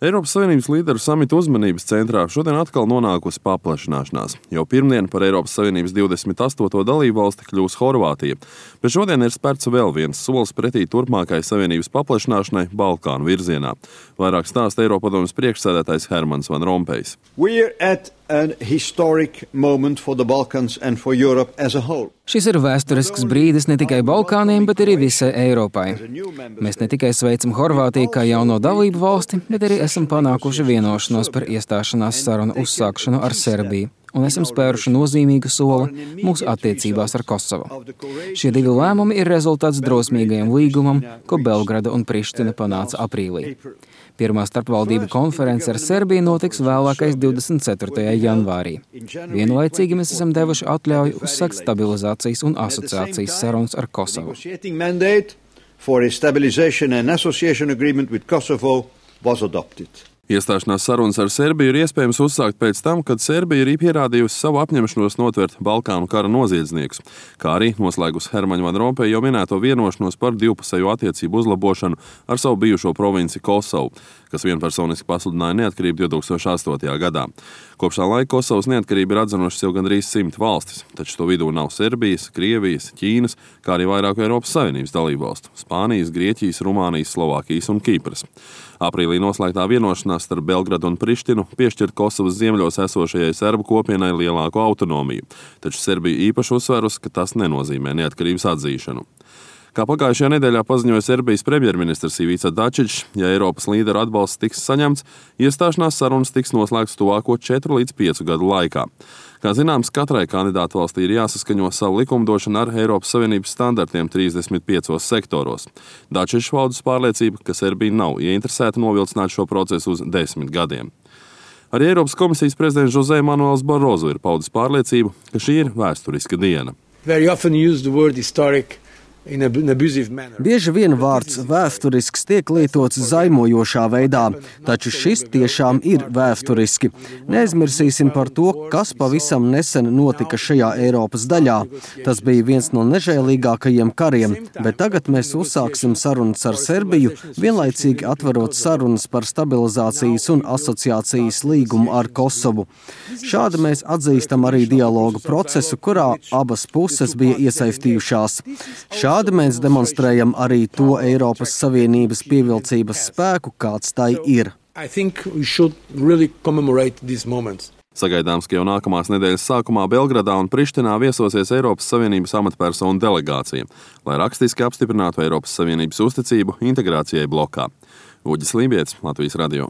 Eiropas Savienības līderu samita uzmanības centrā šodien atkal nonākusi paplašināšanās. Jau pirmdien par Eiropas Savienības 28. dalību valsti kļūs Horvātija, bet šodien ir spērts vēl viens solis pretī turpmākai Savienības paplašināšanai Balkānu virzienā. Vairāk stāsta Eiropadomes priekšsēdētājs Hermans Van Rompējs. Šis ir vēsturisks brīdis ne tikai Balkāniem, bet arī visai Eiropai. Mēs ne tikai sveicam Horvātiju kā jauno dalību valsti, bet arī esam panākuši vienošanos par iestāšanās sarunu uzsākšanu ar Serbiju un esam spēruši nozīmīgu soli mūsu attiecībās ar Kosovu. Šie divi lēmumi ir rezultāts drosmīgajam līgumam, ko Belgrada un Priština panāca aprīlī. Pirmā starpvaldību konference ar Serbiju notiks vēlākais 24. janvārī. Vienlaicīgi mēs esam devuši atļauju uzsākt stabilizācijas un asociācijas sarunas ar Kosovu. Iestāšanās sarunas ar Serbiju ir iespējams uzsākt pēc tam, kad Serbija ir pierādījusi savu apņemšanos notvert Balkānu kara noziedzniekus, kā arī noslēgusi Hermaņa Van Rompeja jau minēto vienošanos par divpusējo attiecību uzlabošanu ar savu bijušo provinci Kosovu, kas vienpersoniski pasludināja neatkarību 2008. gadā. Kopš tā laika Kosovas neatkarību ir atzinušas jau gandrīz 100 valstis, taču to vidū nav Serbijas, Krievijas, Ķīnas, kā arī vairāku Eiropas Savienības dalībvalstu – Spānijas, Grieķijas, Rumānijas, Slovākijas un Kipras. Aprīlī noslēgtā vienošanās starp Belgradu un Prištinu piešķirt Kosovas ziemeļos esošajai serbu kopienai lielāku autonomiju, taču Serbija īpaši uzsvērusi, ka tas nenozīmē neatkarības atzīšanu. Kā pagājušajā nedēļā paziņoja Serbijas premjerministrs Ivica Dačić, ja Eiropas līderu atbalsts tiks saņemts, iestāšanās sarunas tiks noslēgts tuvāko 4 līdz 5 gadu laikā. Kā zināms, katrai kandidātu valstī ir jāsaskaņo savu likumdošanu ar Eiropas Savienības standartiem 35 sektoros. Dačić paudas pārliecība, ka Serbija nav ieinteresēta novilcināt šo procesu uz 10 gadiem. Arī Eiropas komisijas prezidents José Manuels Barroso ir paudis pārliecību, ka šī ir vēsturiska diena. Bieži vien vārds vēsturisks tiek lietots zaimojošā veidā, taču šis tiešām ir vēsturiski. Neaizmirsīsim par to, kas pavisam nesen notika šajā Eiropas daļā. Tas bija viens no nežēlīgākajiem kariem, bet tagad mēs uzsāksim sarunas ar Serbiju, vienlaicīgi atverot sarunas par stabilizācijas un asociācijas līgumu ar Kosovu. Šādi mēs atzīstam arī dialogu procesu, kurā abas puses bija iesaistījušās. Šādi mēs demonstrējam arī to Eiropas Savienības pievilcības spēku, kāds tai ir. Sagaidāms, ka jau nākamās nedēļas sākumā Belgradā un Prištinā viesosies Eiropas Savienības amatpersonu delegācija, lai rakstiski apstiprinātu Eiropas Savienības uzticību integrācijai blokā. Uģis Lībietis, Latvijas radio.